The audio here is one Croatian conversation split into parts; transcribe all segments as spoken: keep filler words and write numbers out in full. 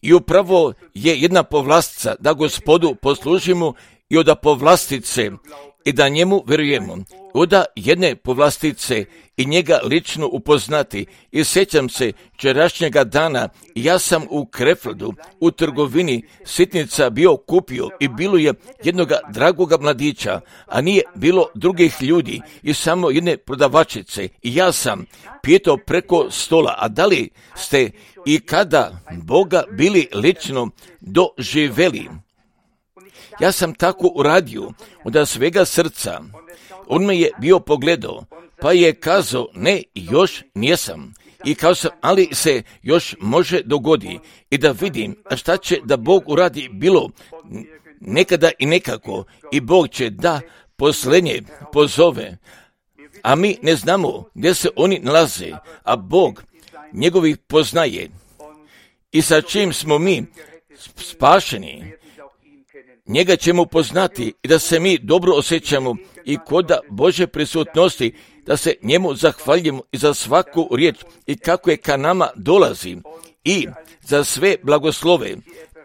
I upravo je jedna povlastica da Gospodu poslužimo i od povlastice i da njemu vjerujemo. Od jedne povlastice i njega lično upoznati. I sjećam se včerašnjega dana, ja sam u Krefeldu, u trgovini sitnica bio kupio i bilo je jednoga dragoga mladića, a nije bilo drugih ljudi i samo jedne prodavačice. I ja sam pitao preko stola, a da li ste i kada Boga bili lično doživeli? Ja sam tako uradio od svega srca. On me je bio pogledao, pa je kazao, ne, još nijesam. I kao sam, ali se još može dogodi i da vidim šta će da Bog uradi bilo nekada i nekako. I Bog će da posljednje pozove, a mi ne znamo gdje se oni nalaze, a Bog njegovih poznaje. I sa čim smo mi spašeni, njega ćemo poznati i da se mi dobro osjećamo i kod Božje prisutnosti, da se njemu zahvaljujemo i za svaku riječ i kako je ka nama dolazi i za sve blagoslove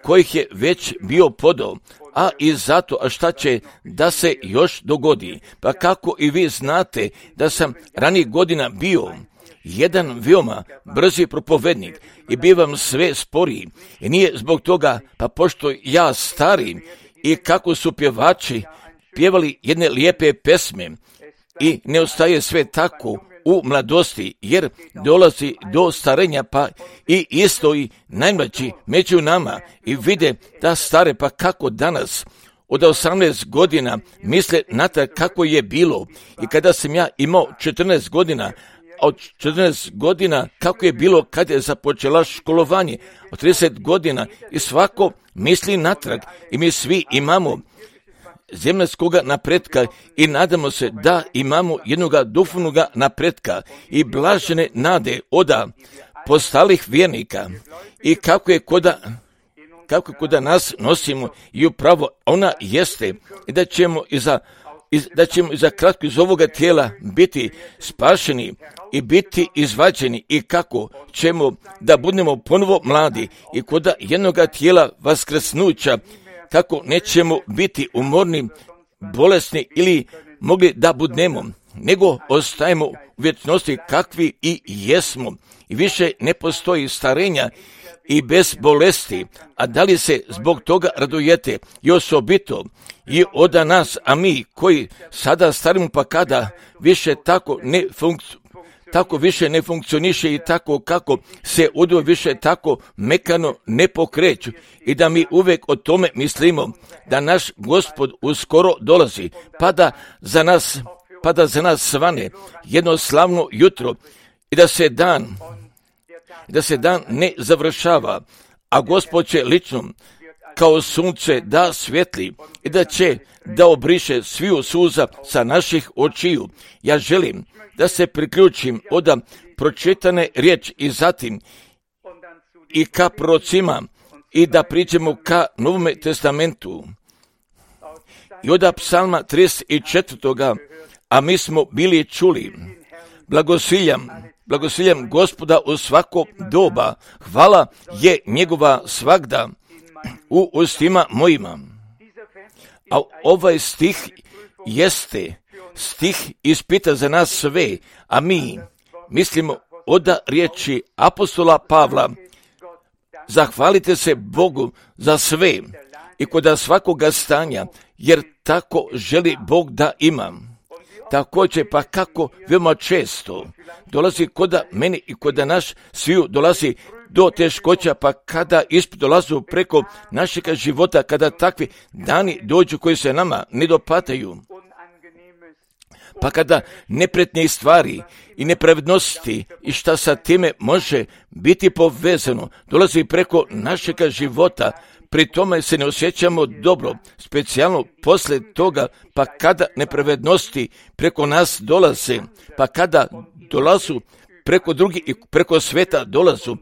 kojih je već bio podao, a i zato a šta će da se još dogodi. Pa kako i vi znate da sam ranijih godina bio jedan veoma brzi propovednik i bivam sve sporiji i nije zbog toga, pa pošto ja stari i kako su pjevači pjevali jedne lijepe pesme i ne ostaje sve tako u mladosti, jer dolazi do starenja, pa i isto i najmlađi među nama i vide da stare, pa kako danas od osamnaest godina misle na to kako je bilo i kada sam ja imao četrnaest godina, od četrnaest godina kako je bilo kad je započela školovanje, od trideset godina i svako misli natrag i mi svi imamo zemaljskog napretka i nadamo se da imamo jednoga duhovnoga napretka i blažene nade oda postalih vjernika i kako je koda kako koda nas nosimo i upravo ona jeste i da ćemo iza Iz, da ćemo za kratko iz ovoga tijela biti spašeni i biti izvađeni i kako ćemo da budemo ponovo mladi i kod jednoga tijela vaskrsnuća, kako nećemo biti umorni, bolesni ili mogli da budnemo, nego ostajemo u vječnosti kakvi i jesmo i više ne postoji starenja i bez bolesti, a da li se zbog toga radujete i osobito i od nas, a mi koji sada starimo pa kada više tako ne funkcionira, tako više ne funkcioniše i tako kako se udo više tako mekano ne pokreću i da mi uvijek o tome mislimo da naš Gospod uskoro dolazi, pa da za nas, pa da za nas svane jedno slavno jutro i da se dan da se dan ne završava, a Gospod će lično kao sunce da svijetli i da će da obriše sviju suza sa naših očiju. Ja želim da se priključim od pročitane riječi i zatim i ka prorocima i da priđemo ka Novome testamentu. I od psalma trideset četiri. A mi smo bili čuli, blagosiljam, blagosiljam Gospoda u svako doba, hvala je njegova svagda u ustima mojima. A ovaj stih jeste stih ispita za nas sve, a mi mislimo od riječi apostola Pavla, zahvalite se Bogu za sve i kod svakoga stanja, jer tako želi Bog da imam. Također pa kako veoma često dolazi kod meni i kod naš sviju dolazi do teškoća, pa kada ispit dolazu preko našega života, kada takvi dani dođu koji se nama ne dopataju, pa kada nepretnje stvari i nepravednosti i šta sa time može biti povezano dolazi preko našega života, pri tome se ne osjećamo dobro, specijalno poslije toga, pa kada nepravednosti preko nas dolaze, pa kada dolazu preko drugih i preko sveta dolazu,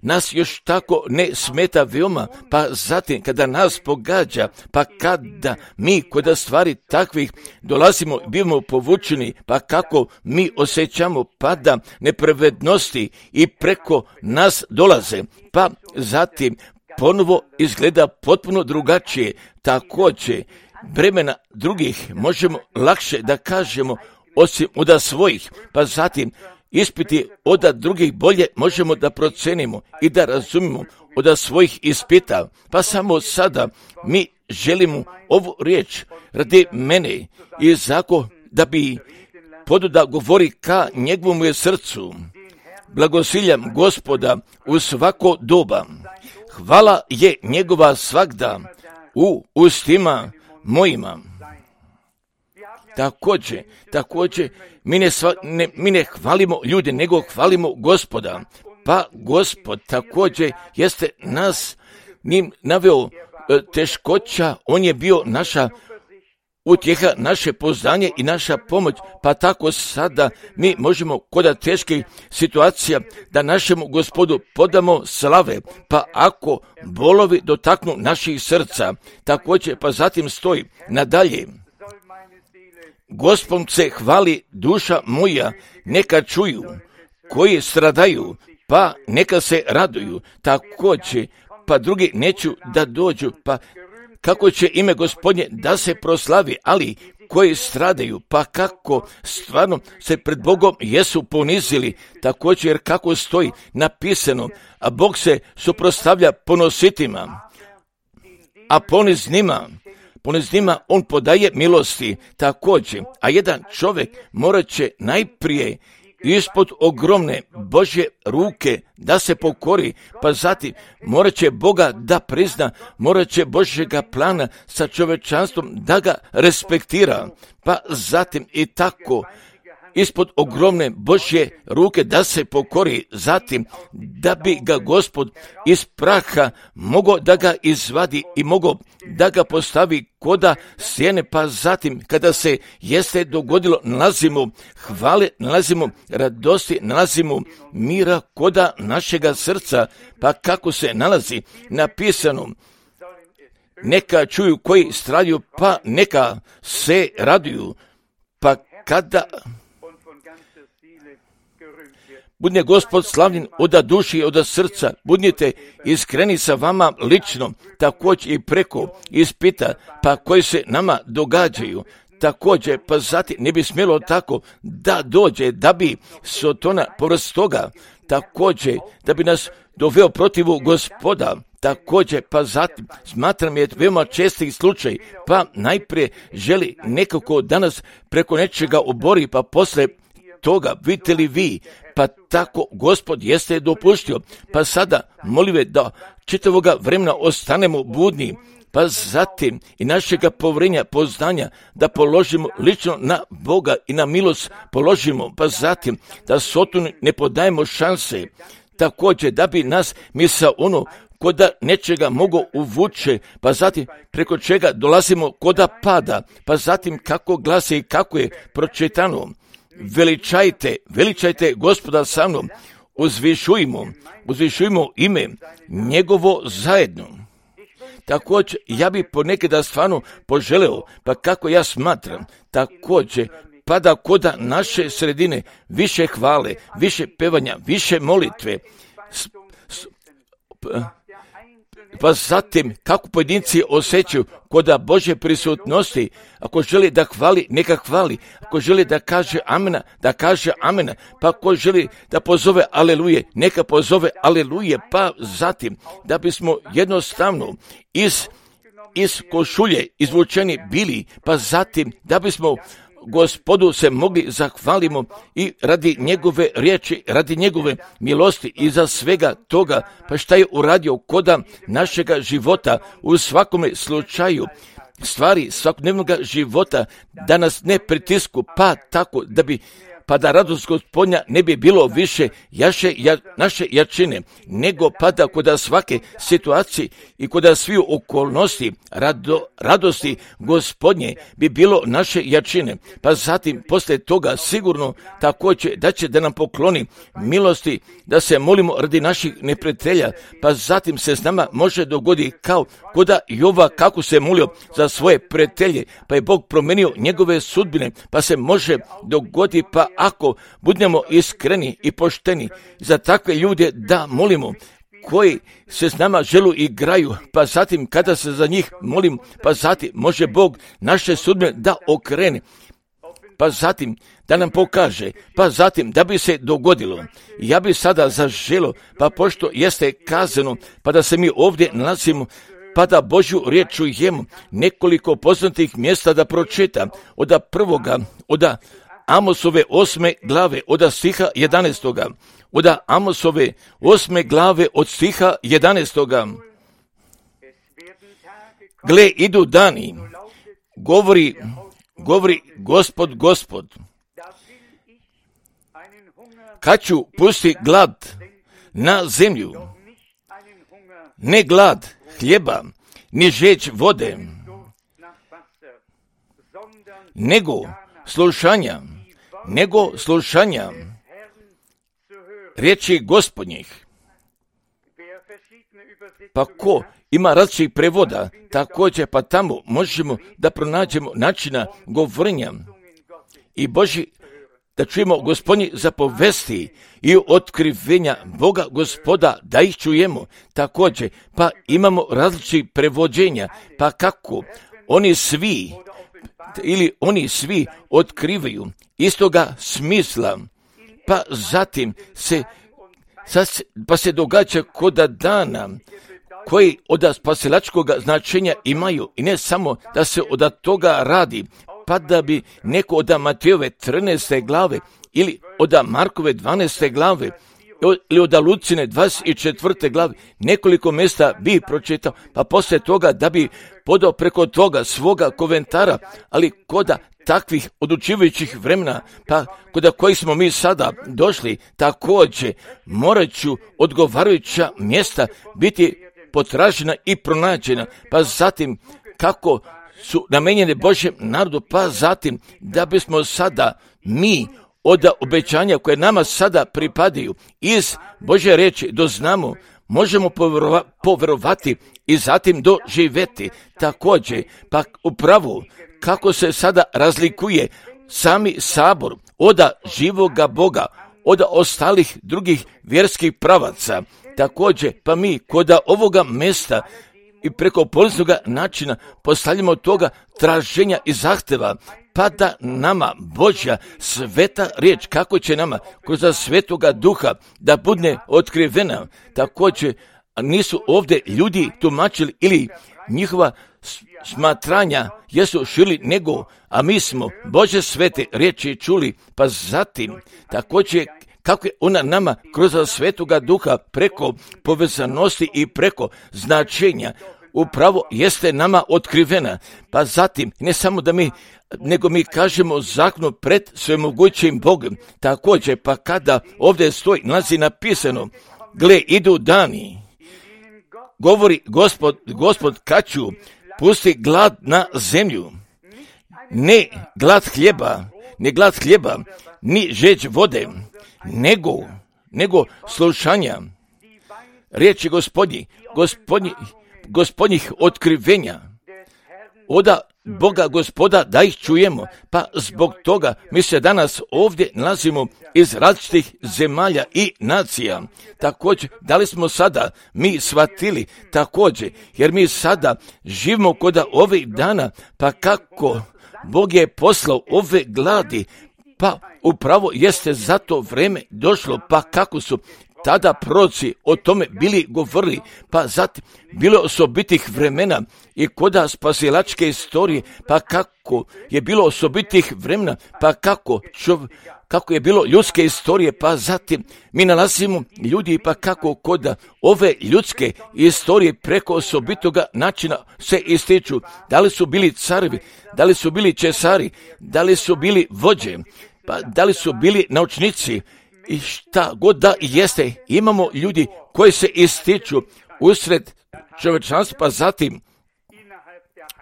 nas još tako ne smeta veoma, pa zatim kada nas pogađa, pa kada mi kod stvari takvih dolazimo, bivamo povučeni, pa kako mi osjećamo pada nepravednosti i preko nas dolaze, pa zatim ponovo izgleda potpuno drugačije. Također, bremena drugih možemo lakše da kažemo osim od svojih, pa zatim ispiti od drugih bolje možemo da procenimo i da razumimo od svojih ispita, pa samo sada mi želimo ovu riječ radi mene i zako da bi podu da govori ka njegovom je srcu. Blagosiljam Gospoda u svako doba. Hvala je njegova svagda u ustima mojima. Također, također, mi ne, sva, ne, mi ne hvalimo ljude, nego hvalimo Gospoda. Pa Gospod također jeste nas njim naveo teškoća, on je bio naša utjeha, naše poznanje i naša pomoć, pa tako sada mi možemo kod teških situacija da našemu Gospodu podamo slave, pa ako bolovi dotaknu naših srca, također pa zatim stoji nadalje. Gospod se hvali duša moja, neka čuju, koji stradaju, pa neka se raduju, također, pa drugi neću da dođu, pa kako će ime Gospodnje da se proslavi, ali koji stradaju, pa kako stvarno se pred Bogom jesu ponizili, također jer kako stoji napisano, a Bog se suprotstavlja ponositima, a poniznima, poniznima on podaje milosti, također, a jedan čovjek morat će najprije ispod ogromne Božje ruke da se pokori, pa zatim morat će Boga da prizna, morat će Božjega plana sa čovečanstvom da ga respektira, pa zatim i tako ispod ogromne Božje ruke da se pokori, zatim da bi ga Gospod iz praha mogao da ga izvadi i mogao da ga postavi koda sjene, pa zatim kada se jeste dogodilo, nalazimo hvale, nalazimo radosti, nalazimo mira koda našega srca, pa kako se nalazi napisano, neka čuju koji stradaju, pa neka se raduju, pa kada budne Gospod slavljen od duši i od srca, budnite iskreni sa vama lično, također i preko ispita, pa koji se nama događaju. Također, pa zatim ne bi smjelo tako da dođe, da bi Sotona povrst toga, također, da bi nas doveo protivu Gospoda, također, pa zatim, smatram je veoma čestih slučaj, pa najprije želi nekako danas preko nečega obori, pa posle toga, vidite li vi, pa tako Gospod jeste dopuštio, pa sada molive da čitavoga vremena ostanemo budni, pa zatim i našega povrenja, poznanja da položimo lično na Boga i na milost položimo, pa zatim da Sotonu ne podajemo šanse, također da bi nas misao ono koda nečega mogu uvuče, pa zatim preko čega dolazimo koda pada, pa zatim kako glasi i kako je pročitano. Veličajte, veličajte Gospoda sa mnom, uzvišujmo, uzvišujmo ime njegovo zajedno. Također, ja bi ponekada stvarno poželeo, pa kako ja smatram, također, pada koda naše sredine više hvale, više pevanja, više molitve, s, s, pa zatim kako pojedinci osjećaju koda Božje prisutnosti, ako želi da hvali, neka hvali, ako želi da kaže amena, da kaže amena, pa ako želi da pozove aleluje, neka pozove aleluje, pa zatim da bismo jednostavno iz, iz košulje izvučeni bili, pa zatim da bismo Gospodu se mogli zahvalimo i radi njegove riječi, radi njegove milosti i za svega toga, pa šta je uradio koda našega života u svakome slučaju, stvari svakodnevnog života da nas ne pritisku, pa tako da bi pa da radost Gospodnja ne bi bilo više jaše, ja, naše jačine, nego pada kod svake situacije i kod svih okolnosti rado, radosti Gospodnje bi bilo naše jačine. Pa zatim poslije toga sigurno također da će da nam pokloni milosti, da se molimo radi naših neprijatelja, pa zatim se s nama može dogoditi kao kod Jova kako se molio za svoje prijatelje, pa je Bog promijenio njegove sudbine, pa se može dogoditi, pa ako budemo iskreni i pošteni za takve ljude da molimo, koji se s nama želu igraju, pa zatim kada se za njih molim, pa zatim može Bog naše sudbine da okrene, pa zatim da nam pokaže, pa zatim da bi se dogodilo. Ja bi sada zaželo, pa pošto jeste kazano, pa da se mi ovdje nalazimo, pa da Božju riječ čujemo, nekoliko poznatih mjesta da pročita, od prvoga, od Amosove osme glave, od stiha jedanaestoga, od Amosove osme glave, od stiha jedanaestoga. Gle, idu dani, govori, govori Gospod, Gospod, kad ću pusti glad na zemlju, ne glad hljeba, ni žeđ vode, nego slušanja, nego slušanja riječi Gospodnjih. Pa ko ima različitih prevoda, također pa tamo možemo da pronađemo načina govorenja i Boži, da čujemo Gospodnji zapovesti i otkrivenja Boga Gospoda, da ih čujemo. Također, pa imamo različitih prevođenja, pa kako oni svi, ili oni svi otkrivaju istoga smisla, pa zatim se, pa se događa kod dana koji od spasilačkog značenja imaju i ne samo da se od toga radi, pa da bi neko od Matejove trinaeste glave ili od Markove dvanaeste glave ili od Lucine dvadeset četvrte glave nekoliko mjesta bi pročitao, pa poslije toga da bi podao preko toga svoga komentara, ali kod takvih odlučivajućih vremena, pa kod kojih smo mi sada došli, također morat ću odgovarajuća mjesta biti potražena i pronađena, pa zatim kako su namenjene Božjem narodu, pa zatim da bismo sada mi od obećanja koje nama sada pripadaju iz Božje riječi doznamo, možemo povjerovati i zatim doživjeti. Također, pa upravo kako se sada razlikuje sami sabor od živoga Boga, od ostalih drugih vjerskih pravaca. Također, pa mi kod ovoga mjesta i preko poliznog načina postavljamo toga traženja i zahtjeva, pa da nama Božja sveta riječ, kako će nama kroz svetoga duha da bude otkrivena. Također, nisu ovdje ljudi tumačili ili njihova smatranja jesu šili nego, a mi smo Božje svete riječi čuli, pa zatim također kako je ona nama kroz svetoga duha preko povezanosti i preko značenja upravo jeste nama otkrivena. Pa zatim, ne samo da mi, nego mi kažemo zakonu pred svemogućim Bogom. Također, pa kada ovdje stoji, nalazi napisano, gle, idu dani, govori Gospod, Gospod kad ću pusti glad na zemlju, ne glad hljeba, ne glad hljeba, ni žeđ vode, nego, nego slušanja riječi Gospodnji, Gospodnji, Gospodnjih otkrivenja, oda Boga Gospoda da ih čujemo, pa zbog toga mi se danas ovdje nalazimo iz različitih zemalja i nacija. Također, da li smo sada mi shvatili također, jer mi sada živimo kod ovih dana, pa kako Bog je poslao ove gladi, pa upravo jeste za to vrijeme došlo, pa kako su tada proroci o tome bili govorili, pa zatim bilo osobitih vremena i koda spasilačke istorije, pa kako je bilo osobitih vremena, pa kako, čov, kako je bilo ljudske istorije, pa zatim mi nalazimo ljudi, pa kako kod ove ljudske istorije preko osobitoga načina se ističu, da li su bili carevi, da li su bili česari, da li su bili vođe, pa da li su bili naučnici i šta god da jeste, imamo ljudi koji se ističu usred čovječanstva, pa zatim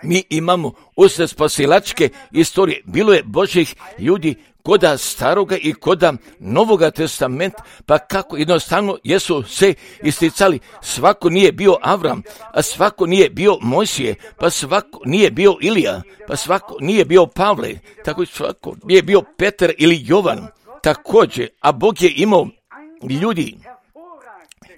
mi imamo usred spasilačke istorije. Bilo je Božjih ljudi koda staroga i koda novoga testamenta, pa kako jednostavno jesu se isticali. Svako nije bio Avram, a svako nije bio Mojsije, pa svako nije bio Ilija, pa svako nije bio Pavle, tako svako nije bio Petar ili Jovan. Također, a Bog je imao ljudi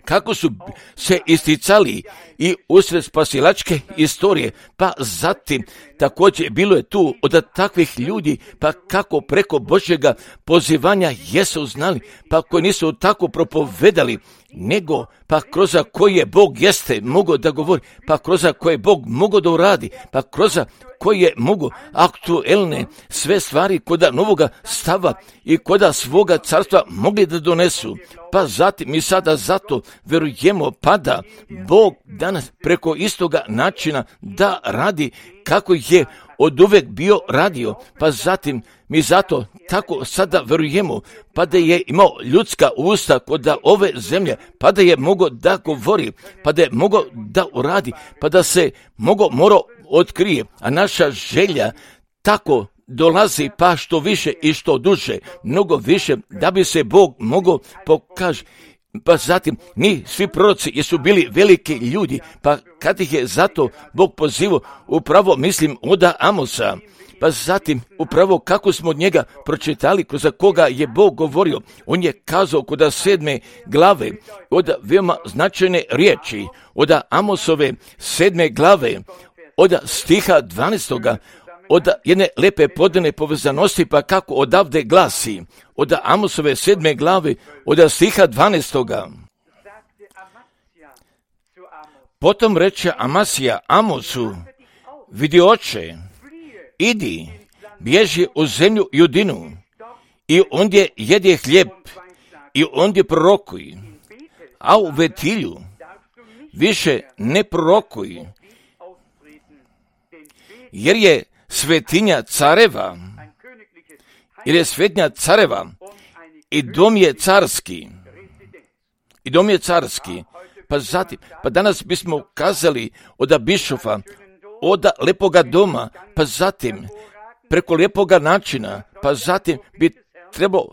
kako su se isticali i usred spasilačke istorije, pa zatim također bilo je tu od takvih ljudi, pa kako preko Božjega pozivanja jesu znali, pa koji nisu tako propovedali, nego pa kroz koje je Bog jeste mogao da govori, pa kroz koje je Bog mogao da uradi, pa kroz koje je mogu aktuelne sve stvari koda novoga stava i koda svoga carstva mogli da donesu. Pa zatim mi sada zato verujemo pa da Bog danas preko istoga načina da radi kako je od uvek bio radio, pa zatim mi zato tako sada verujemo, pa da je imao ljudska usta kod ove zemlje, pa da je mogao da govori, pa da je mogao da uradi, pa da se mogao morao otkrije, a naša želja tako dolazi pa što više i što duže, mnogo više, da bi se Bog mogao pokaži. Pa zatim, ni svi proroci jesu bili veliki ljudi, pa kad ih je zato Bog pozivao, upravo mislim oda Amosa, pa zatim upravo kako smo od njega pročitali, kroz koga je Bog govorio, on je kazao kod sedme glave, od veoma značajne riječi, od Amosove sedme glave, od stiha dvanaestoga, od jedne lepe podane povezanosti, pa kako odavde glasi, od Amosove sedme glave, od stiha dvanaestoga. Potom reče Amasija Amosu, vidi oče, idi, bježi u zemlju Judinu, i ondje jedi hljeb, i ondje prorokuj, a u Vetilju više ne prorokuj, jer je svetinja careva, jer je svetinja careva i dom je carski, i dom je carski, pa zatim, pa danas bismo kazali od bišofa, od lepoga doma, pa zatim, preko lepoga načina, pa zatim bi trebao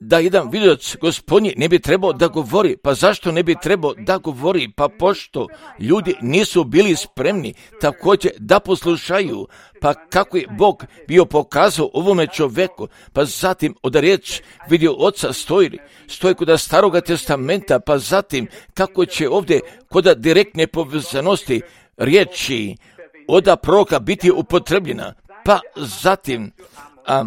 da jedan vidilac gospodnji ne bi trebao da govori, pa zašto ne bi trebao da govori, pa pošto ljudi nisu bili spremni također da poslušaju, pa kako je Bog bio pokazao ovome čoveku, pa zatim od riječ vidio oca stoji, stoji kod staroga testamenta, pa zatim kako će ovdje kod direktne povezanosti riječi od proroka biti upotrebljena, pa zatim a,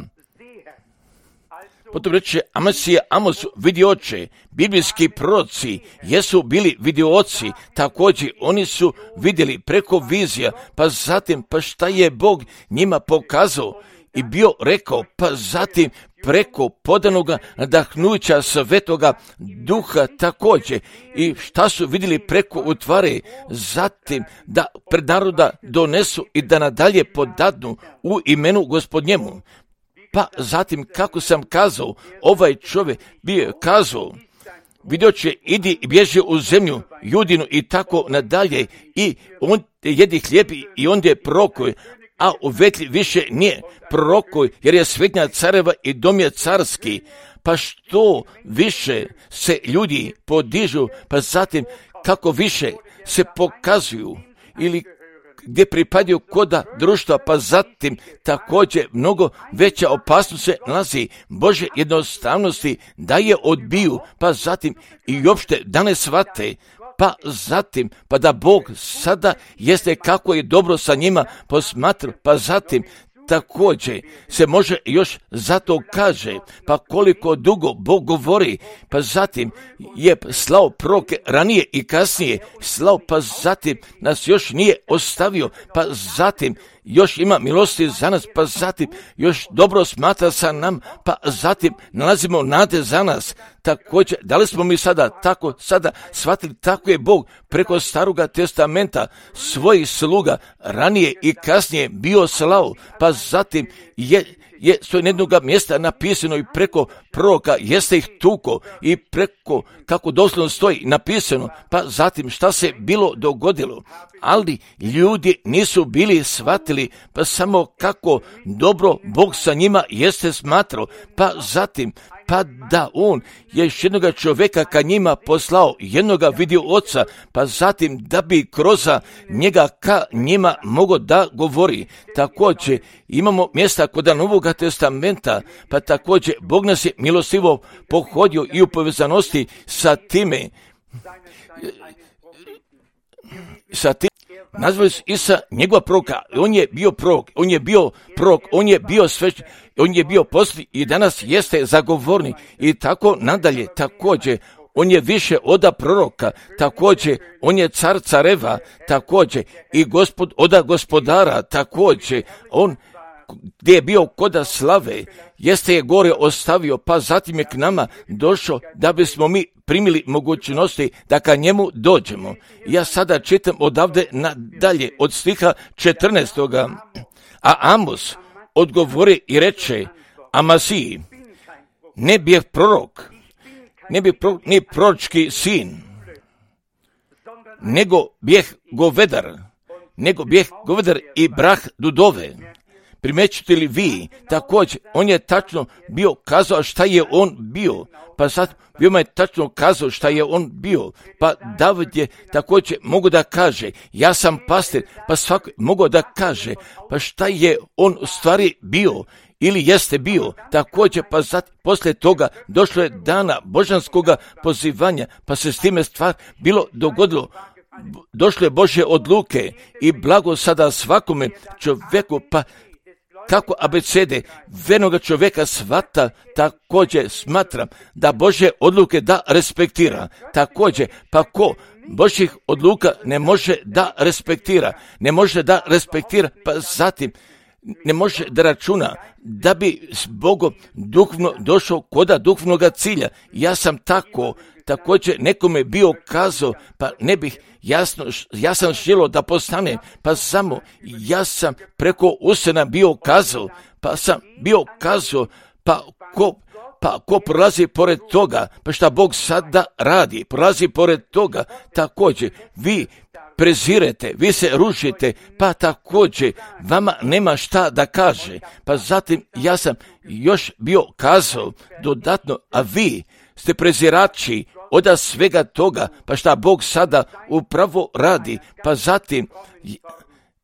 potom reče Amasija Amosu, vidi oče, biblijski proroci jesu bili vidioci, također oni su vidjeli preko vizija, pa zatim pa šta je Bog njima pokazao i bio rekao, pa zatim preko podanoga nadahnuća svetoga duha također i šta su vidjeli preko utvare, zatim da pred naroda donesu i da nadalje podadnu u imenu gospodnjemu. Pa zatim, kako sam kazao, ovaj čovjek bio je kazao, vidio će, idi i bježi u zemlju Judinu i tako nadalje, i on jedi hljeb i on je prorokuj, a u Vetlji više nije prorokuj, jer je svetinja careva i dom je carski. Pa što više se ljudi podižu, pa zatim kako više se pokazuju ili gdje pripadaju koda društva, pa zatim također mnogo veća opasnost se nalazi Bože jednostavnosti da je odbiju, pa zatim i uopšte da ne shvate, pa zatim pa da Bog sada jeste kako je dobro sa njima posmatra, pa zatim također se može još zato kaže, pa koliko dugo Bog govori, pa zatim je slao proroke ranije i kasnije, slao, pa zatim nas još nije ostavio, pa zatim još ima milosti za nas, pa zatim još dobro smatra sa nam, pa zatim nalazimo nade za nas. Također, da li smo mi sada tako sada shvatili, tako je Bog preko staroga testamenta svojih sluga ranije i kasnije bio slao, pa zatim je je s jednog mjesta napisano i preko proroka jeste ih tuko i preko, kako doslovno stoji napisano, pa zatim šta se bilo dogodilo. Ali ljudi nisu bili shvatili, pa samo kako dobro Bog sa njima jeste smatrao, pa zatim pa da on je još jednoga čovjeka ka njima poslao, jednoga vidio oca, pa zatim da bi kroz njega ka njima mogo da govori. Također imamo mjesta kod Novoga testamenta, pa također Bog nas je milostivo pohodio i u povezanosti sa time, sa tim. Nazvali su Isa njegova proroka, on je bio prorok, on je bio prorok, on je bio svešten, on je bio posljednji i danas jeste zagovornik i tako nadalje. Također, on je više oda proroka, također, on je car careva, također, i gospod oda gospodara, također, on gdje je bio koda slave, jeste je gore ostavio, pa zatim je k nama došao da bismo mi primili mogućnosti da ka njemu dođemo. Ja sada čitam odavde nadalje od stiha četrnaestoga. A Amos odgovori i reče Amasiji, ne bijeh prorok, ne bijeh prorok, ni proročki sin, nego bijeh govedar, nego bijeh govedar i brah dudove. Primećujete li vi, također, on je tačno bio kazao šta je on bio, pa sad veoma je tačno kazao šta je on bio, pa David je također mogu da kaže, ja sam pastir, pa svako mogu da kaže, pa šta je on u stvari bio, ili jeste bio, također, pa sad poslije toga došlo je dana božanskoga pozivanja, pa se s time stvar bilo dogodilo. Došle je Božje odluke i blago sada svakome čovjeku, pa kako abecede vernoga čovjeka shvata, također smatram da Božje odluke da respektira. Također, pa ko Božjih odluka ne može da respektira, ne može da respektira, pa zatim ne može da računa da bi s Bogom duhovno došao koda duhovnoga cilja. Ja sam tako, također nekome bio kazao, pa ne bih jasno, ja sam želio da postane, pa samo ja sam preko usena bio kazao, pa sam bio kazao, pa ko, pa ko prolazi pored toga, pa šta Bog sada radi, prolazi pored toga, također vi prezirete, vi se rušite, pa također vama nema šta da kaže, pa zatim ja sam još bio kazao dodatno, a vi ste prezirači oda svega toga, pa šta Bog sada upravo radi, pa zatim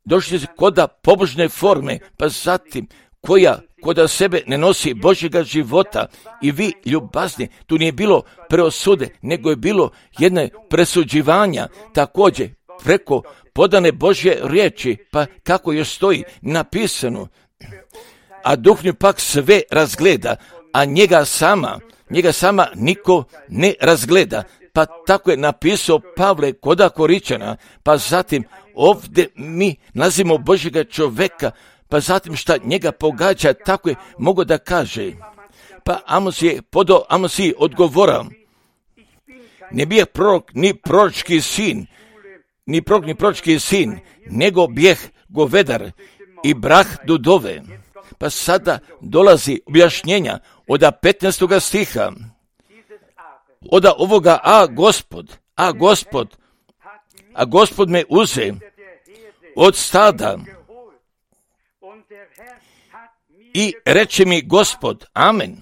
došli se koda pobožne forme, pa zatim koja koda sebe ne nosi Božjega života i vi ljubazni, tu nije bilo preosude, nego je bilo jedne presuđivanja, također preko podane Božje riječi, pa kako još stoji napisano, a duhovni pak sve razgleda, a njega sama, njega sama niko ne razgleda, pa tako je napisao Pavle koda Koričana, pa zatim ovdje mi nazivamo Božjega čovjeka, pa zatim šta njega pogađa, tako je mogo da kaže. Pa Amos je podao Amosiji odgovorao, ne bijeh prorok ni proročki sin, ni prorok ni proročki sin, nego bijeh govedar i brah dudove. Pa sada dolazi objašnjenja od petnaestoga stiha, od ovoga, a gospod, a gospod, a gospod me uze od stada i reče mi gospod, amen.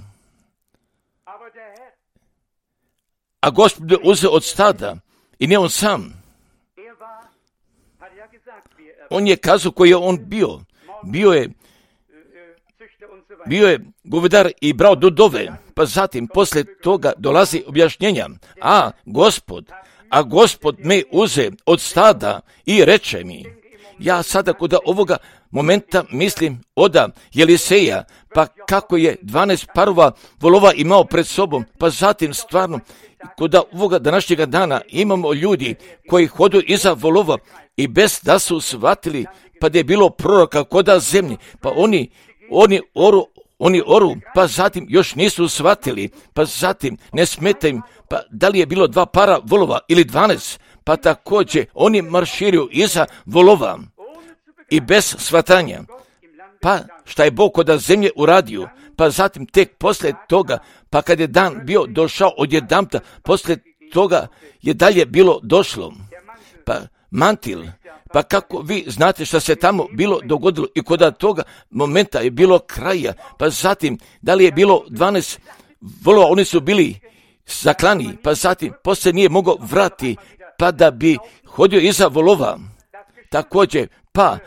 A gospod me uze od stada i ne on sam. On je kazao koji je on bio. Bio je Bio je govedar i brao dudove, pa zatim poslije toga dolazi objašnjenja. A gospod, a gospod me uze od stada i reče mi. Ja sada kod ovoga momenta mislim oda Jeliseja, pa kako je dvanaest parova volova imao pred sobom, pa zatim stvarno kod ovoga današnjega dana imamo ljudi koji hodu iza volova i bez da su shvatili, pa da je bilo proroka koda zemlji, pa oni Oni oru, oni oru, pa zatim još nisu shvatili, pa zatim ne smeta im, pa da li je bilo dva para volova ili dvanaest, pa također oni marširaju iza volova i bez shvatanja. pa šta je Bog kod zemlje uradio, pa zatim tek poslije toga, pa kad je dan bio došao odjedanputa, poslije toga je dalje bilo došlo. Pa mantil, pa kako vi znate šta se tamo bilo dogodilo i kod toga momenta je bilo kraja, pa zatim da li je bilo dvanaest volova, oni su bili zaklani, pa zatim poslije nije mogao vrati, pa da bi hodio iza volova. Također, pa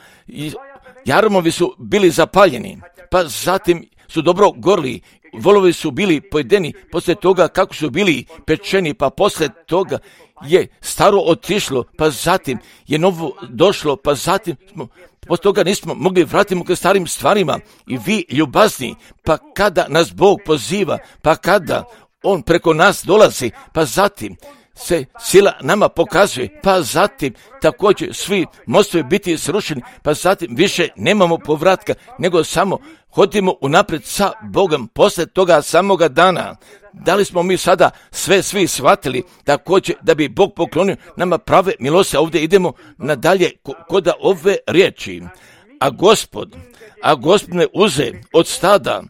jarmovi su bili zapaljeni, pa zatim su dobro gorli, volovi su bili pojedeni, poslije toga kako su bili pečeni, pa poslije toga je staro otišlo, pa zatim je novo došlo, pa zatim smo, poslije toga nismo mogli vratiti k starim stvarima. I vi ljubazni, pa kada nas Bog poziva, pa kada On preko nas dolazi, pa zatim se sila nama pokazuje, pa zatim također svi mostovi biti srušeni, pa zatim više nemamo povratka, nego samo hodimo unaprijed sa Bogom poslije toga samoga dana. Da li smo mi sada sve svi shvatili također da bi Bog poklonio nama prave milosti? Ovdje idemo nadalje kod ove riječi. A Gospod, a Gospod me uze od stada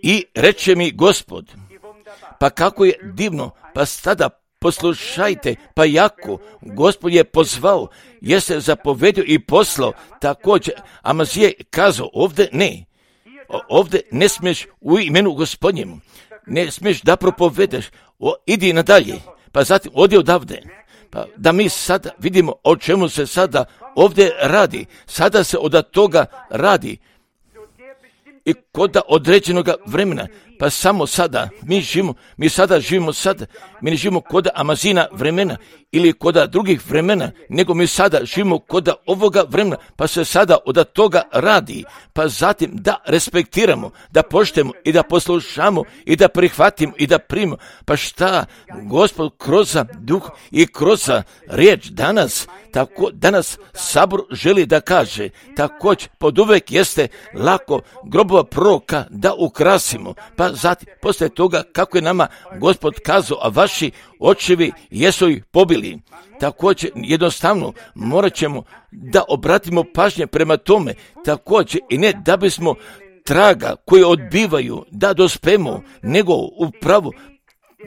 i reče mi Gospod, pa kako je divno, pa sada poslušajte, pa jako Gospod je pozvao, je se zapovedio i poslao, također Amazije kazao, ovdje ne, ovdje ne smiješ u imenu Gospodnjemu, ne smiješ da propovedeš, o, idi nadalje, pa zatim odi odavde. Pa da mi sada vidimo o čemu se sada ovdje radi, sada se od toga radi, i kod određenog vremena, pa samo sada, mi živimo, mi sada živimo sada, mi ne živimo kod Amazina vremena ili kod drugih vremena, nego mi sada živimo kod ovoga vremena, pa se sada od toga radi, pa zatim da respektiramo, da poštujemo i da poslušamo i da prihvatimo i da primimo, pa šta Gospod kroz duh i kroz riječ danas, tako danas sabor želi da kaže, također pod uvek jeste lako grobova proroka da ukrasimo, pa zatim poslije toga kako je nama Gospod kazao, a vaši očevi jesu ih pobili. Također jednostavno morat ćemo da obratimo pažnje prema tome, također i ne da bismo traga koje odbivaju da dospemo, nego upravo,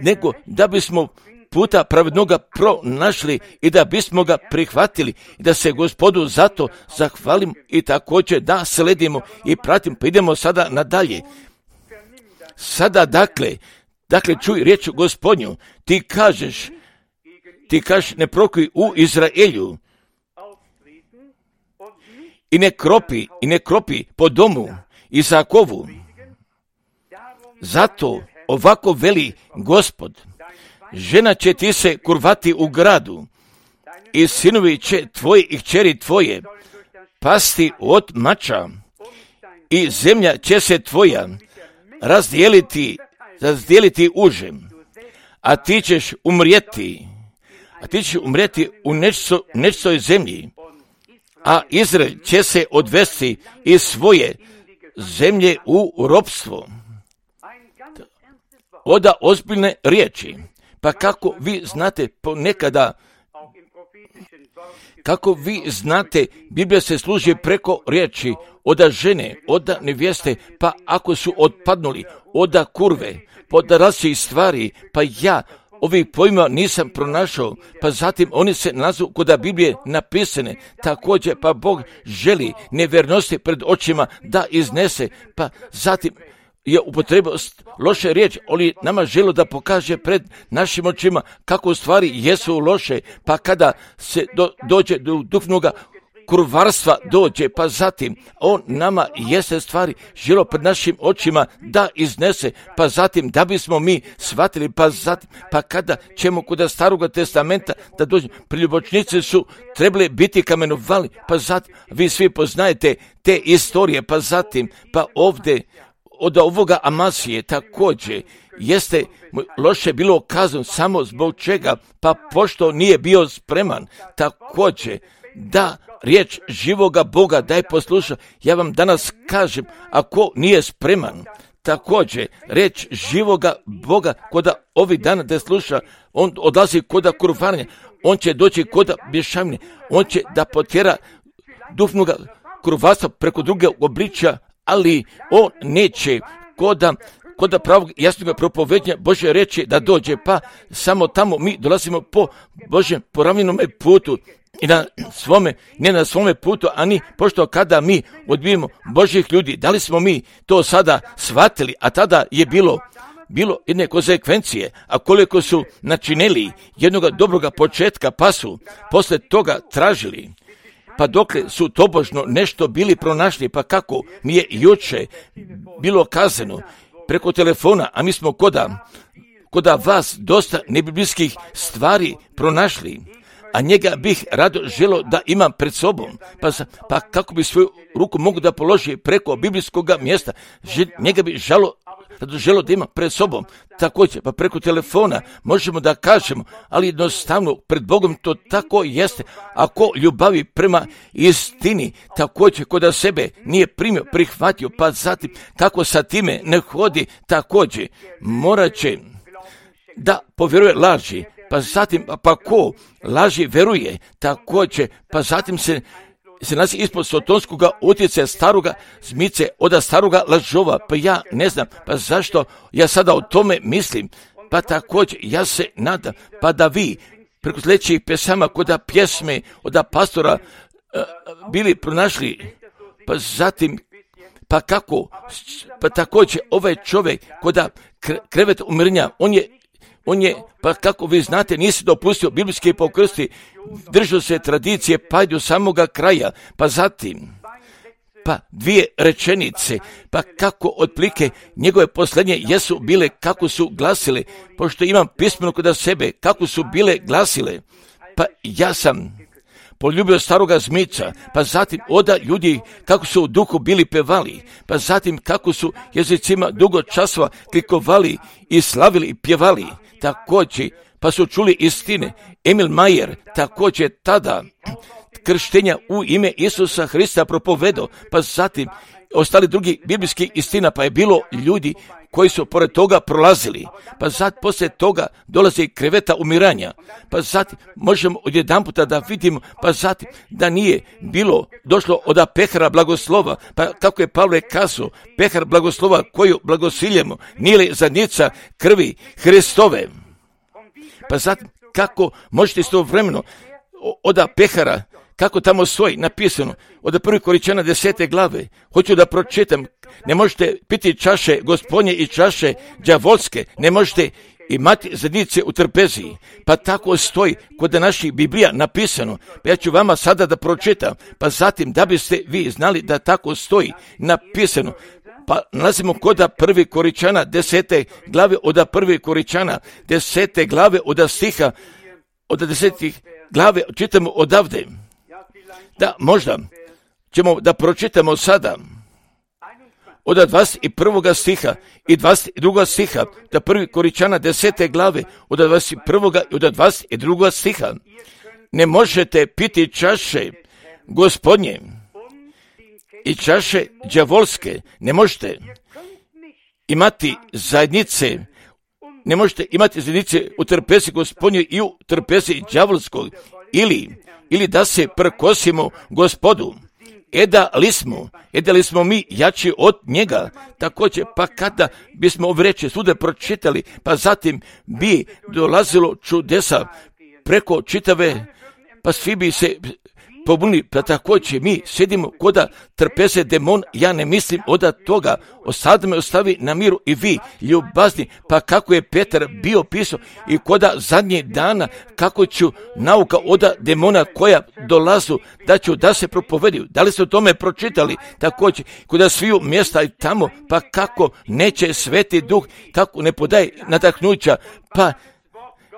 nego da bismo puta pravednoga pronašli i da bismo ga prihvatili i da se Gospodu zato zahvalimo i također da sledimo i pratimo, pa idemo sada nadalje. Sada dakle, dakle čuj riječ Gospodnju, ti kažeš, ti kažeš ne prokuj u Izraelju i ne kropi, i ne kropi po domu Izakovu. Zato ovako veli Gospod, žena će ti se kurvati u gradu i sinovi će tvoji i kćeri tvoje pasti od mača i zemlja će se tvoja razdijeliti, razdijeliti užem, a ti ćeš umrijeti, a ti ćeš umrijeti u nešto, nečoj zemlji, a Izrael će se odvesti iz svoje zemlje u ropstvo. Oda ozbiljne riječi. Pa kako vi znate ponekada, kako vi znate, Biblija se služi preko riječi oda žene, oda nevjeste, pa ako su otpadnuli, oda kurve, od različitih stvari, pa ja ovih pojma nisam pronašao, pa zatim oni se nazu kod Biblije napisane, također pa Bog želi nevjernosti pred očima da iznese, pa zatim je upotrebao loše riječi, ali nama želo da pokaže pred našim očima kako stvari jesu loše, pa kada se do, dođe do duhovnog kurvarstva dođe, pa zatim on nama jeste stvari želo pred našim očima da iznese, pa zatim da bismo mi shvatili, pa zatim, pa kada ćemo kod Staroga testamenta da dođe, priljubočnici su trebali biti kamenovali, pa zatim vi svi poznajete te istorije, pa zatim, pa ovdje od ovoga Amasije također jeste loše bilo kazano samo zbog čega, pa pošto nije bio spreman također da riječ živoga Boga daj posluša. Ja vam danas kažem, ako nije spreman također riječ živoga Boga kod ovih dana da sluša, on odlazi kod kurvaranja, on će doći kod bješavnje, on će da potjera duhovnoga kurvatstva preko druge obličja, ali on neće koda kod da pravog jasnog propovednja Božje reći da dođe, pa samo tamo mi dolazimo po Božjem poravljenome putu i na svome, ne na svome putu, ani pošto kada mi odbijemo Božjih ljudi, da li smo mi to sada shvatili, a tada je bilo bilo jedne konsekvencije, a koliko su načinili jednog dobroga početka, pa su posle toga tražili, pa dokle su tobožno nešto bili pronašli, pa kako mi je juče bilo kazano preko telefona, a mi smo koda, koda vas dosta nebiblijskih stvari pronašli, a njega bih rado želo da imam pred sobom, pa, pa kako bi svoju ruku mogu da položi preko biblijskog mjesta, Že, njega bi žalo, rado želo da imam pred sobom, također, pa preko telefona možemo da kažemo, ali jednostavno pred Bogom to tako jeste, ako ljubavi prema istini, također kod sebe nije primio, prihvatio, pa zatim kako sa time ne hodi, također morat će da povjeruje laži, pa zatim, pa ko laži veruje, također, pa zatim se se nalazi ispod sotonskog utjecaja staroga zmice, od staroga lažova, pa ja ne znam, pa zašto ja sada o tome mislim, pa također ja se nadam, pa da vi preko sljedećih pesama kod pjesme od pastora uh, bili pronašli, pa zatim, pa kako, pa također ovaj čovjek kod krevet umirenja, on je On je, pa kako vi znate, nisi dopustio biblijske pokrsti, držao se tradicije pa do samoga kraja, pa zatim, pa dvije rečenice, pa kako otplike njegove posljednje jesu bile, kako su glasile, pošto imam pismeno kod sebe, kako su bile glasile, pa ja sam poljubio staroga zmica, pa zatim oda ljudi kako su u duhu bili pevali, pa zatim kako su jezicima dugo časova klikovali i slavili i pjevali, također, pa su čuli istine. Emil Majer također tada krštenja u ime Isusa Hrista propovedo, pa zatim ostali drugi biblijski istina, pa je bilo ljudi koji su pored toga prolazili, pa zatim poslije toga dolazi kreveta umiranja, pa zatim možemo odjedan puta da vidimo, pa zatim da nije bilo došlo od pehara blagoslova, pa kako je Pavle kazao, pehar blagoslova koju blagosiljemo, nije li zadnjica krvi Hristove, pa zatim kako možete istovremeno od pehara, kako tamo stoji napisano od prvih Korinćana desete glave, hoću da pročitam, ne možete piti čaše Gospodnje i čaše đavolske, ne možete imati zadnjice u trpeziji, pa tako stoji kod naših Biblija napisano, pa ja ću vama sada da pročitam, pa zatim da biste vi znali da tako stoji napisano, pa nalazimo kod prvi Korinćana desete glave, od prvi Korinćana desete glave, od stiha, od desetih glave, čitamo odavde. Da, možda ćemo da pročitamo sada od dvadeset prvog stiha i dvadeset drugog stiha, da prvi Korinćana desete glave, od dvadeset prvog i od dvadeset drugog stiha. Ne možete piti čaše Gospodnje i čaše đavolske, ne možete imati zajednice, ne možete imati zajednice u trpezi Gospodnjoj i u trpezi đavolskog, ili ili da se prkosimo Gospodu. Eda li smo, eda li smo mi jači od njega, također, pa kada bismo vreće sude pročitali, pa zatim bi dolazilo čudesa preko čitave, pa svi bi se pobunili, pa također mi sjedimo koda trpeze demon, ja ne mislim od toga, sad me ostavi na miru i vi, ljubazni, pa kako je Petar bio pisao i koda zadnjih dana, kako ću nauka od demona koja dolazu, da ću da se propovediju, da li ste o tome pročitali, također, koda sviju mjesta i tamo, pa kako neće Sveti Duh, kako ne podaje nadahnuća, pa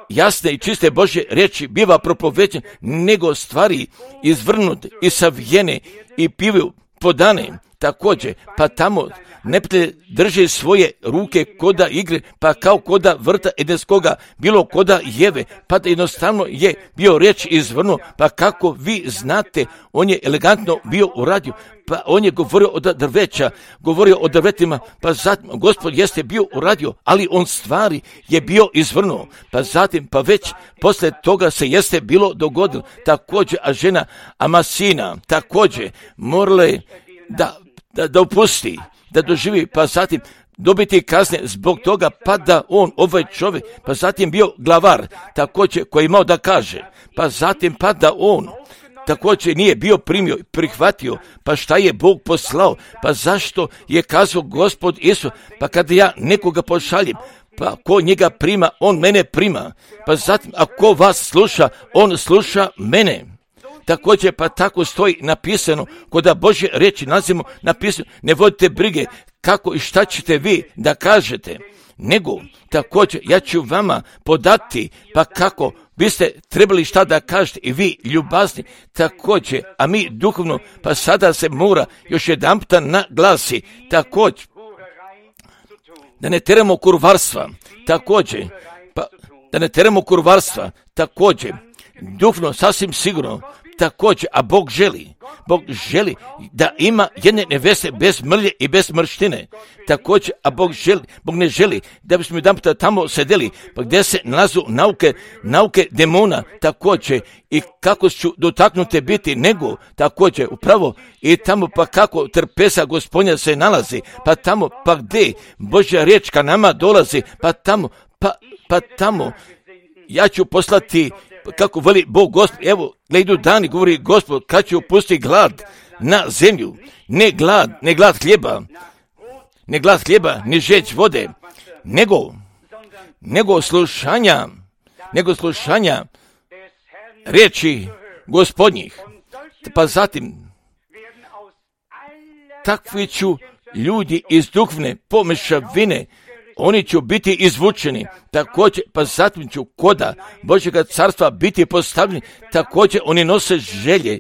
jasne i čiste Božje riječi biva propoveđen, nego stvari izvrnute i savijene i pivaju podane, također, pa tamo neprijatelj drži svoje ruke koda igre, pa kao koda vrta edenskoga, bilo koda jeve, pa da jednostavno je bio riječ izvrnuo, pa kako vi znate, on je elegantno bio uradio, pa on je govorio o drveća, govorio o drvetima, pa zatim, Gospod jeste bio uradio, ali on stvari je bio izvrnuo, pa zatim, pa već posle toga se jeste bilo dogodilo, također, a žena Amasina, također, morala je da, da, da opusti, da doživi, pa zatim dobiti kazne zbog toga, pa da on, ovaj čovjek, pa zatim bio glavar, također, koji imao da kaže, pa zatim, pa da on, također nije bio primio, prihvatio, pa šta je Bog poslao, pa zašto je kazao Gospod Isus, pa kada ja nekoga pošaljem, pa ko njega prima, on mene prima, pa zatim, ako vas sluša, on sluša mene. Također, pa tako stoji napisano, kod Božje riječi nalazimo napisano, ne vodite brige kako i šta ćete vi da kažete, nego također ja ću vama podati, pa kako biste trebali šta da kažete i vi ljubazni, također, a mi duhovno, pa sada se mora još jedan puta naglasi, također, da ne teramo kurvarstva, također, pa da ne teramo kurvarstva, također, duhovno, sasvim sigurno, također, a Bog želi, Bog želi da ima jedne neveste bez mrlje i bez mrštine, također, a Bog želi, Bog ne želi da bismo jedan puta tamo sedeli, pa gdje se nalazu nauke, nauke demona, također, i kako ću dotaknute biti, nego, također, upravo, i tamo pa kako trpeza Gospodnja se nalazi, pa tamo, pa gdje Božja riječ ka nama dolazi, pa tamo, pa, pa tamo, ja ću poslati, kako veli Bog Gospod, evo, ne idu dani, govori Gospod, kad će upustiti glad na zemlju, ne glad, ne glad hljeba, ne glad hljeba, ne žeć vode, nego, nego slušanja, nego slušanja riječi Gospodnjih, pa zatim, takvi ću ljudi iz duhovne pomešavine, oni će biti izvučeni, također, pa zatim ću koda Božjega carstva biti postavljeni, također oni nose želje,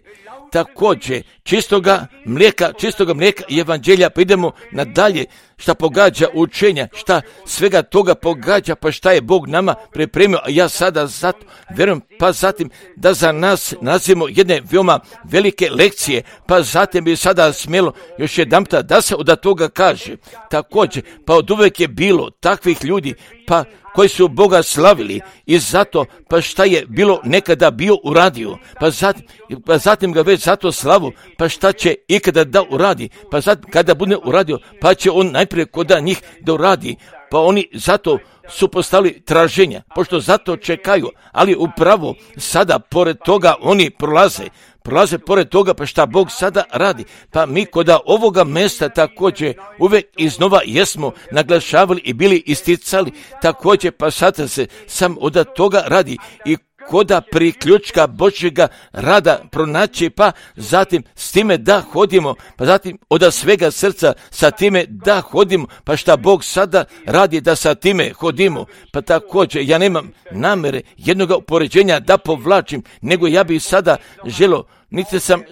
također, čistoga mlijeka, čistoga mlijeka i evanđelja, pa idemo nadalje, šta pogađa učenja, šta svega toga pogađa, pa šta je Bog nama pripremio, a ja sada zato vjerujem, pa zatim da za nas nazivamo jedne veoma velike lekcije, pa zatim bi sada smjelo još jedan puta da se od toga kaže, također, pa od uvijek je bilo takvih ljudi, pa koji su Boga slavili i zato, pa šta je bilo nekada bio uradio, pa zatim, pa zatim ga već zato slavu, pa šta će ikada da uradi, pa zatim kada bude uradio, pa će on najprije koda njih da uradi, pa oni zato su postavili traženja, pošto zato čekaju, ali upravo sada pored toga oni prolaze, prolaze pored toga, pa šta Bog sada radi, pa mi koda ovoga mjesta također uvijek iznova jesmo naglašavali i bili isticali, također pa sada se sam od toga radi i koda priključka Božjega rada pronaći, pa zatim s time da hodimo, pa zatim od svega srca sa time da hodimo, pa šta Bog sada radi da sa time hodimo, pa također ja nemam namere jednoga upoređenja da povlačim, nego ja bih sada želo, niti sam,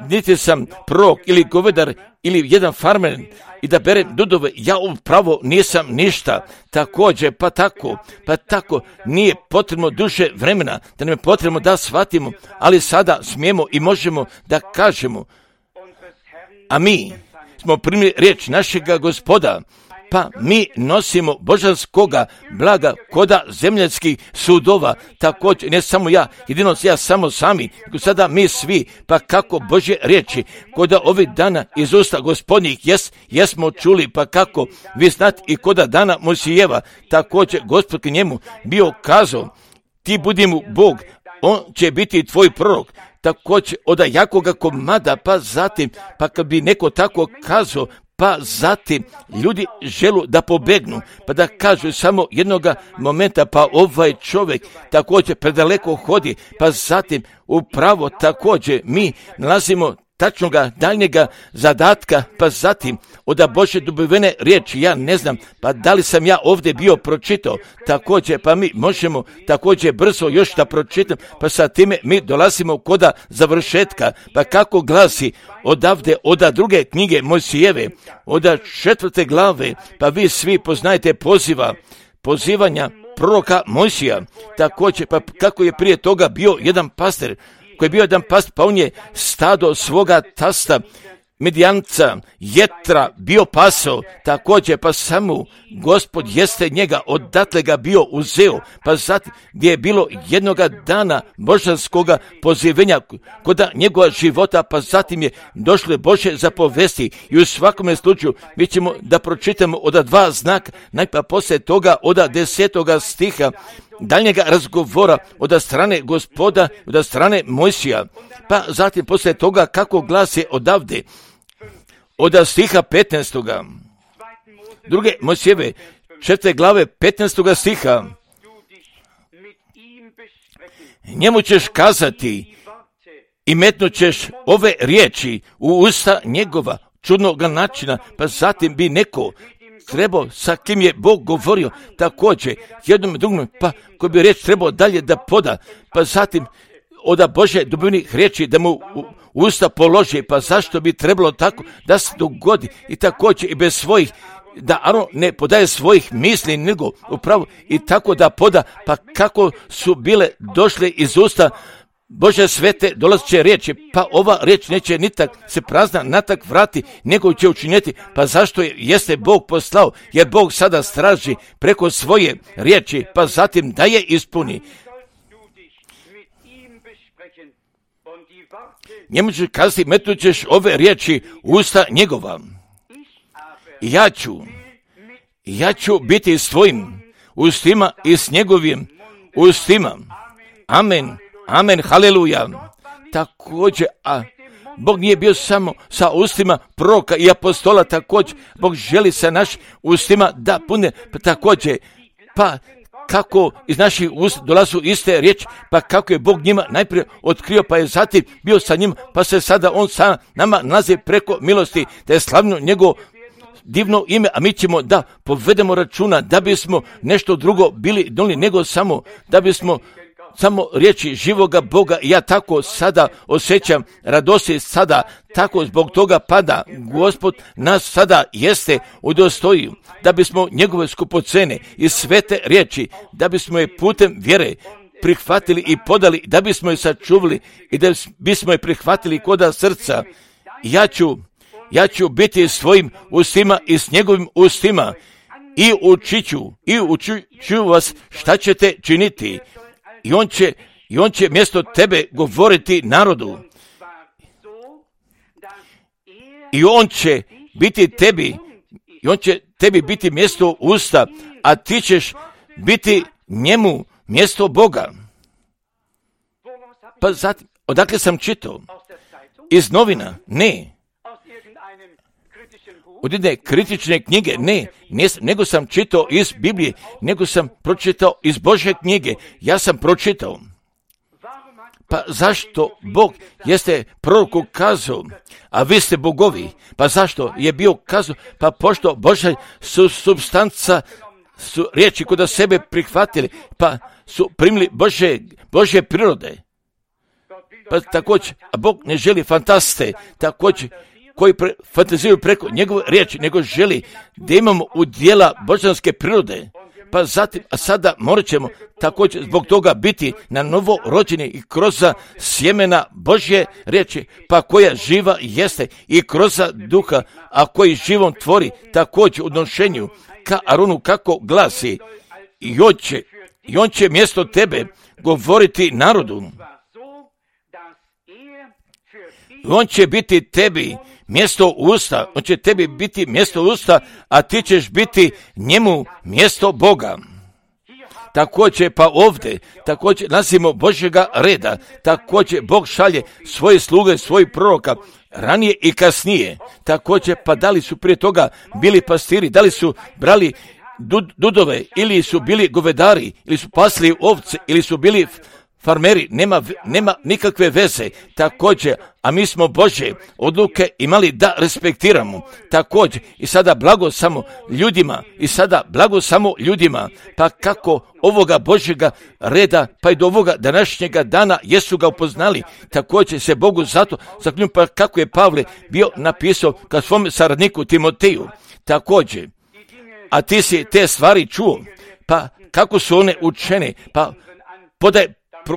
niti sam prorok ili govedar ili jedan farmer i da berem dudove, ja upravo nisam ništa, također, pa tako, pa tako, nije potrebno duže vremena, da nam je potrebno da shvatimo, ali sada smijemo i možemo da kažemo, a mi smo primili riječ našega Gospoda, pa mi nosimo božanskoga blaga koda zemljanskih sudova, također, ne samo ja, jedino ja samo sami, nego sada mi svi, pa kako Božje riječi, koda ovih dana iz usta Gospodnjih jes, jesmo čuli, pa kako vi znate i koda dana Mojsijeva, također Gospod k njemu bio kazao, ti budi mu Bog, on će biti tvoj prorok, također od jakoga komada, pa zatim, pa kad bi neko tako kazao, pa zatim ljudi želu da pobegnu, pa da kažu samo jednoga momenta, pa ovaj čovjek također predaleko hodi, pa zatim upravo također mi nalazimo tačnoga daljnjega zadatka, pa zatim od Božje dobivene riječi, ja ne znam, pa da li sam ja ovdje bio pročitao, također, pa mi možemo također brzo još da pročitam, pa sa time mi dolazimo koda završetka, pa kako glasi odavde, oda druge knjige Mojsijeve, oda četvrte glave, pa vi svi poznajete poziva, pozivanja proroka Mojsija, također, pa kako je prije toga bio jedan pastir, koji je bio jedan pastir, pa on je stado svoga tasta, Midijanca, Jetra, bio pasao, također, pa samo Gospod jeste njega, odatle ga bio uzeo, pa zatim gdje je bilo jednoga dana božanskoga pozivenja koda njegova života, pa zatim je došlo Božje zapovesti i u svakome slučaju mi ćemo da pročitamo od dva znaka, najpa poslije toga od desetoga stiha, daljnjega razgovora od strane Gospoda, od strane Mojsija, pa zatim poslije toga kako glasi odavde, od stiha petnaestoga druge Mojsijeve, četvrte glave petnaestoga stiha, njemu ćeš kazati i metnut ćeš ove riječi u usta njegova čudnog načina, pa zatim bi neko trebao sa kim je Bog govorio također jednom i drugom, pa koji bi riječ trebao dalje da poda, pa zatim od Božje dobivenih riječi da mu u usta položi, pa zašto bi trebalo tako da se dogodi i također i bez svojih, da Aron ne podaje svojih misli nego upravo i tako da poda, pa kako su bile došle iz usta Bože svete dolazeće riječi, pa ova riječ neće nitak se prazna natak vrati, nego će učinjeti, pa zašto je, jeste Bog poslao, jer Bog sada straži preko svoje riječi, pa zatim da je ispuni. Njemu ćeš kazati, metnut ćeš ove riječi u usta njegova. Ja ću, ja ću biti svojim ustima i s njegovim ustima. Amen, amen, haleluja. Također, a Bog nije bio samo sa ustima proroka i apostola, također, Bog želi sa našim ustima da pune, pa također, pa kako iz naših ust dolazu iste riječi, pa kako je Bog njima najprije otkrio, pa je zatim bio sa njim, pa se sada on sa nama nalazi preko milosti, da je slavno njegovo divno ime, a mi ćemo da povedemo računa da bismo nešto drugo bili donijeli nego samo da bismo samo riječi živoga Boga. Ja tako sada osjećam radosti, sada tako zbog toga pada Gospod nas sada jeste udostojio da bismo njegove skupocene i svete riječi, da bismo je putem vjere prihvatili i podali, da bismo je sačuvali i da bismo je prihvatili koda srca. Ja ću, ja ću biti svojim ustima i s njegovim ustima i učit ću, i učit ću vas šta ćete činiti. I on će, i on će mjesto tebe govoriti narodu. I on će biti tebi, i on će tebi biti mjesto usta, a ti ćeš biti njemu mjesto Boga. Pa zatim, odakle sam čitao? Iz novina? Ne. Od jedne kritične knjige? Ne. ne. Nego sam čitao iz Biblije, nego sam pročitao iz Božje knjige. Ja sam pročitao. Pa zašto Bog jeste proroku kazao, a vi ste bogovi? Pa zašto je bio kazao? Pa pošto Božja su substanca, su riječi koda sebe prihvatili, pa su primili Božje, Božje prirode. Pa također, a Bog ne želi fantaste, također, koji pre, fantaziraju preko njegove riječi, nego želi da imamo udjela božanske prirode. Pa zatim, a sada morat ćemo također zbog toga biti na novo rođeni i kroz sjemena Božje riječi, pa koja živa jeste i kroz duha, a koji živom tvori također u odnošenju ka Aronu kako glasi, i on će, i on će mjesto tebe govoriti narodu. I on će biti tebi mjesto usta, on će tebi biti mjesto usta, a ti ćeš biti njemu mjesto Boga. Također pa ovdje, također nasimo Božjega reda, također Bog šalje svoje sluge, svojih proroka, ranije i kasnije. Također pa da li su prije toga bili pastiri, da li su brali dud, dudove, ili su bili govedari, ili su pasli ovce, ili su bili farmeri, nema, nema nikakve veze, također, a mi smo Božje odluke imali da respektiramo, također, i sada blago samo ljudima, i sada blago samo ljudima, pa kako ovoga Božjega reda, pa i do ovoga današnjega dana jesu ga upoznali, također se Bogu zato zaklinju, pa kako je Pavle bio napisao ka svom saradniku Timoteju, također, a ti si te stvari čuo, pa kako su one učene, pa podaj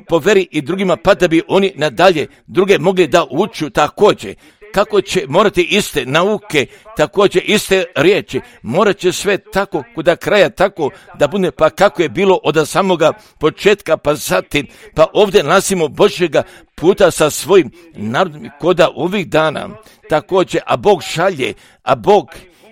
poveri i drugima, pa da bi oni nadalje druge mogli da uču također. Kako će morati iste nauke, također iste riječi, morat će sve tako kuda kraja tako da bude, pa kako je bilo od samoga početka, pa zatim, pa ovdje nalazimo Božjega puta sa svojim narodom koda ovih dana, također, a Bog šalje, a Bog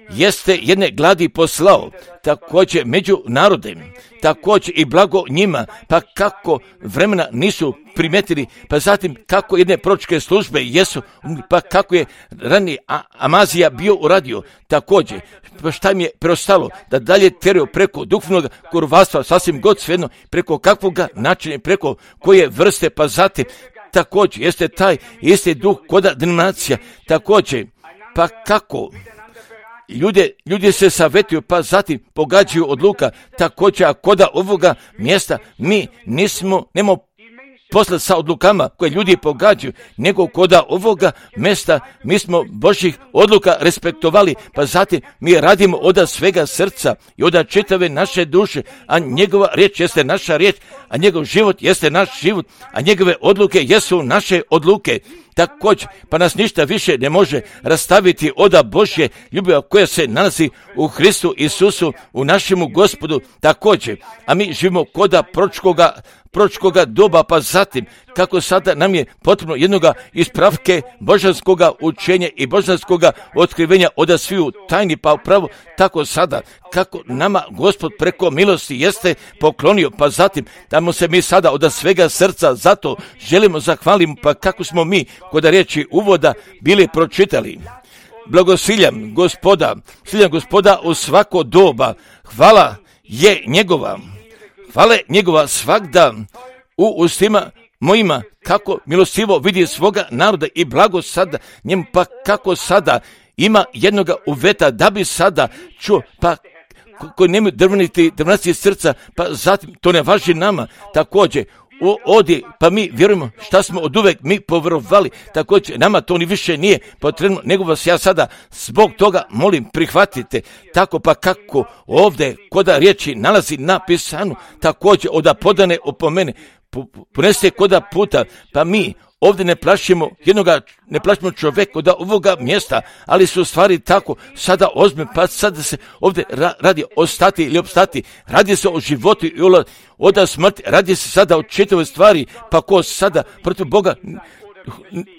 jeste jedne gladi poslao, također među narodem, također i blago njima, pa kako vremena nisu primetili, pa zatim kako jedne proročke službe jesu, pa kako je ranije Amazija bio uradio, također, pa šta im je preostalo, da dalje teraju preko duhovnog kurvarstva, sasvim god svejedno, preko kakvoga načina, preko koje vrste, pa zatim, također, jeste taj isti duh koda denominacija, također, pa kako Ljude, ljudi se savjetuju, pa zatim pogađaju odluka, također, a koda ovoga mjesta mi nismo, nemamo posla sa odlukama koje ljudi pogađaju, nego koda ovoga mjesta mi smo Božjih odluka respektovali, pa zatim mi radimo od svega srca i od čitave naše duše, a njegova riječ jeste naša riječ, a njegov život jeste naš život, a njegove odluke jesu naše odluke. Također, pa nas ništa više ne može rastaviti od Božje ljubavi koja se nalazi u Hristu Isusu, u našemu Gospodu, također, a mi živimo koda proročkoga proročkoga doba, pa zatim, kako sada nam je potrebno jednoga ispravke božanskoga učenja i božanskoga otkrivenja od sviju tajni, pa upravo tako sada, kako nama Gospod preko milosti jeste poklonio, pa zatim, da mu se mi sada od svega srca zato želimo zahvalimo, pa kako smo mi kod riječi uvoda bili pročitali. Blagosiljam Gospoda, siljam Gospoda u svako doba, hvala je njegova. Hvala njegova svakda u ustima mojima, kako milostivo vidi svoga naroda i blago sada njemu, pa kako sada ima jednoga uveta da bi sada čuo, pa koji nemaju drvniti, drvnati srca, pa zatim to ne važi nama, također, odi, pa mi vjerujemo šta smo od uvek mi povjerovali, također nama to ni više nije potrebno, nego vas ja sada zbog toga molim prihvatite, tako pa kako ovdje koda riječi nalazi napisano, također od podane opomene, ponese koda puta, pa mi ovdje ne plašimo jednoga, ne plašimo čovjeka od ovoga mjesta, ali su stvari tako sada ozme, pa sada se ovdje ra, radi ostati ili opstati, radi se o životu i od smrti, radi se sada o čitavoj stvari, pa ko sada protiv Boga,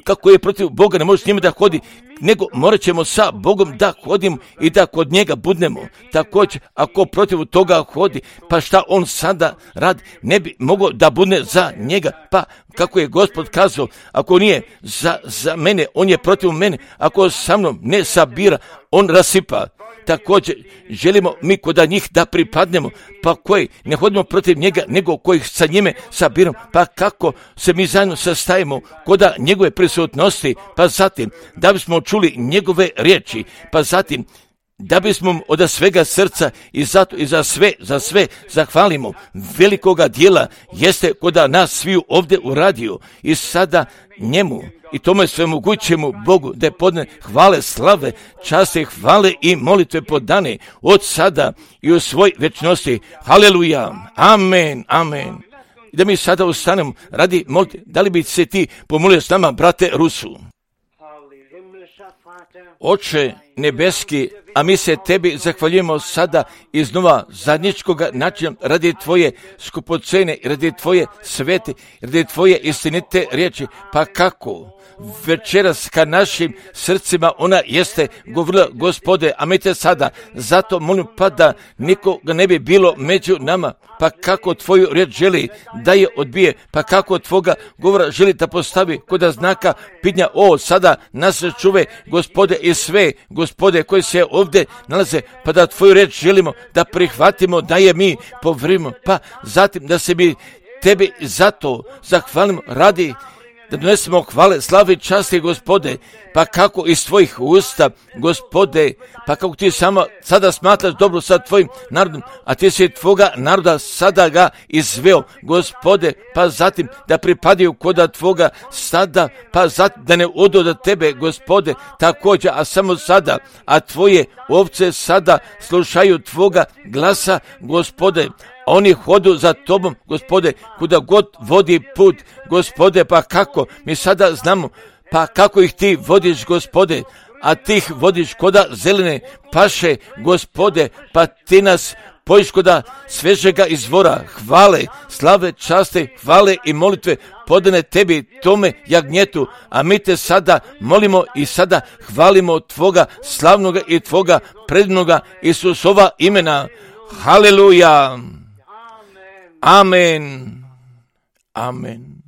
kako je protiv Boga ne može s njima da hodi, nego morat ćemo sa Bogom da hodimo i da kod njega budnemo. Također, ako protiv toga hodi, pa šta on sada radi, ne bi mogao da budne za njega, pa kako je Gospod kazao, ako nije za, za mene, on je protiv mene, ako sa mnom ne sabira, on rasipa. Također, želimo mi kod njih da pripadnemo, pa koji ne hodimo protiv njega, nego kojih sa njime sabiramo, pa kako se mi zajedno sastajemo kod njegove prisutnosti, pa zatim, da bismo čuli njegove riječi, pa zatim, da bismo od svega srca i zato i za sve, za sve zahvalimo velikoga dijela jeste kod nas sviju ovdje uradio i sada njemu i tome svemogućemu Bogu da je podne hvale, slave, časti, hvale i molitve podane od sada i u svoj večnosti. Haleluja, amen, amen. I da mi sada ustanemo radi molite, da li bi se ti pomolio s nama, brate Rusu? Oče nebeski, a mi se tebi zahvaljujemo sada iznova zadnjičkoga načina radi tvoje skupocene, radi tvoje svete, radi tvoje istinite riječi, pa kako večeras ka našim srcima ona jeste govorila, Gospode, a mi te sada zato molim pa da nikoga ne bi bilo među nama, pa kako tvoju riječ želi da je odbije, pa kako tvoga govora želi da postavi kod znaka pitanja, o sada nas čuve, Gospode, i sve, Gospode, koji se ovdje nalaze, pa da tvoju riječ želimo da prihvatimo, da je mi povrimo, pa zatim da se mi Tebi zato zahvalim radi da donesemo hvale, slave i časti, Gospode, pa kako iz tvojih usta, Gospode, pa kako ti samo sada smatraš dobro sa tvojim narodom, a ti si tvoga naroda sada ga izveo, Gospode, pa zatim da pripadaju koda tvoga sada, pa zatim da ne odu do tebe, Gospode, također, a samo sada, a tvoje ovce sada slušaju tvoga glasa, Gospode, oni hodu za tobom, Gospode, kuda god vodi put, Gospode, pa kako, mi sada znamo, pa kako ih ti vodiš, Gospode, a ti ih vodiš koda zelene paše, Gospode, pa ti nas pojiš koda svežega izvora, hvale, slave, časte, hvale i molitve podane tebi, tome jagnjetu, a mi te sada molimo i sada hvalimo tvoga slavnoga i tvoga prednoga Isusova imena. Haleluja! Amen. Amen.